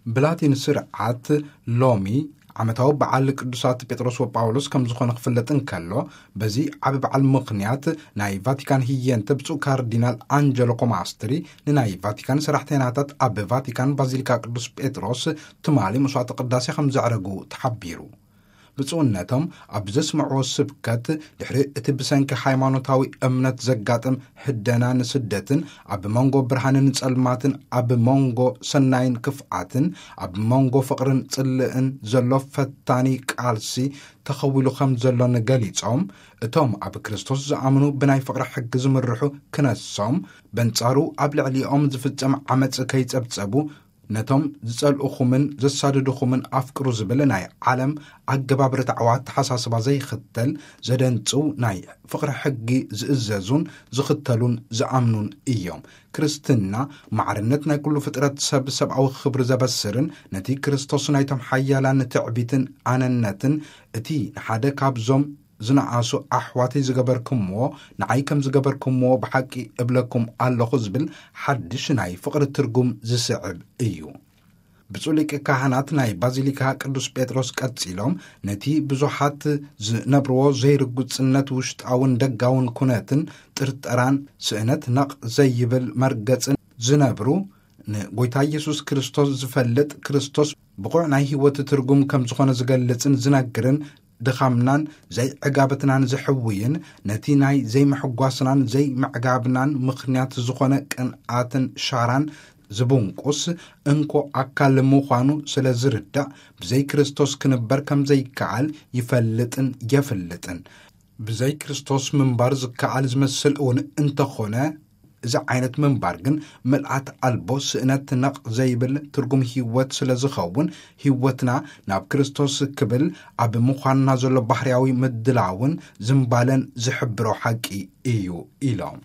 ብላቲን ስርዓት ሎሚ ዓመታዊ በዓል ቅዱሳት ጴጥሮስ ወጳውሎስ ከም ዝኾነ ክፍለጥ እንከሎ፣ በዚ ዓቢ በዓል ምኽንያት ናይ ቫቲካን ህየንተ ብፁዕ ካርዲናል ኣንጀሎ ኮማስትሪ ንናይ ቫቲካን ሰራሕተኛታት ኣብ ቫቲካን ባዚሊካ ቅዱስ ጴጥሮስ ትማሊ መስዋዕተ ቅዳሴ ከም ዘዕረጉ ተሓቢሩ። ብፁዕነቶም ኣብ ዘስምዕዎ ስብከት፣ ድሕሪ እቲ ብሰንኪ ሃይማኖታዊ እምነት ዘጋጥም ህደናን ስደትን፣ ኣብ መንጎ ብርሃንን ጸልማትን፣ ኣብ መንጎ ሰናይን ክፍኣትን፣ ኣብ መንጎ ፍቕርን ጽልእን ዘሎ ፈታኒ ቃልሲ ተኸዊሉ ከም ዘሎን ገሊጾም፣ እቶም ኣብ ክርስቶስ ዝኣምኑ ብናይ ፍቕሪ ሕጊ ዝምርሑ ክነሶም፣ በንጻሩ ኣብ ልዕሊኦም ዝፍጸም ዓመጽ ከይጸብጸቡ፣ ነቶም ዝጸልኡኹምን ዘሳድዱኹምን ኣፍቅሩ ዝብል ናይ ዓለም ኣገባብ ርትዓዊ ኣተሓሳስባ ዘይኽተል፣ ዘደንጽው ናይ ፍቕሪ ሕጊ ዝእዘዙን ዝኽተሉን ዝኣምኑን እዮም። ክርስትና ማዕርነት ናይ ኩሉ ፍጥረት ሰብ ሰብኣዊ ክብሪ ዘበስርን ነቲ ክርስቶስ ናይቶም ሓያላን ትዕቢትን ኣነነትን፣ እቲ ንሓደ ካብዞም ዝነኣሱ ኣሕዋተይ ዝገበርኩምዎ ንዓይ ከም ዝገበርኩምዎ ብሓቂ እብለኩም ኣለኹ ዝብል ሓድሽ ናይ ፍቕሪ ትርጉም ዝስዕብ እዩ። ብፁዕ ሊቀ ካህናት ናይ ባዚሊካ ቅዱስ ጴጥሮስ ቀጺሎም፣ ነቲ ብዙሓት ዝነብርዎ ዘይርጉጽነት ውሽጣውን ደጋውን ኩነትን ጥርጠራን ስእነት ነቕ ዘይብል መርገጽን ዝነብሩ፣ ንጎይታ ኢየሱስ ክርስቶስ ዝፈልጥ፣ ክርስቶስ ብቑዕ ናይ ህይወት ትርጉም ከም ዝኾነ ዝገልጽን ዝነግርን፣ ድኻምናን ዘይዕጋበትናን ዝሕውይን፣ ነቲ ናይ ዘይምሕጓስናን ዘይምዕጋብናን ምኽንያት ዝኾነ ቅንኣትን ሻራን ዝብንቁስ እንኮ ኣካል ምዃኑ ስለ ዝርዳእ፣ ብዘይ ክርስቶስ ክንበር ከም ዘይከኣል ይፈልጥን የፍልጥን። ብዘይ ክርስቶስ ምንባር ዝከኣል ዝመስል እውን እንተኾነ፣ እዚ ዓይነት ምንባር ግን ምልኣት ኣልቦ፣ ስእነት፣ ነቕ ዘይብል ትርጉም ህይወት ስለ ዝኸውን፣ ህይወትና ናብ ክርስቶስ ክብል ኣብ ምዃንና ዘሎ ባህርያዊ ምድላውን ዝምባለን ዝሕብሮ ሓቂ እዩ ኢሎም።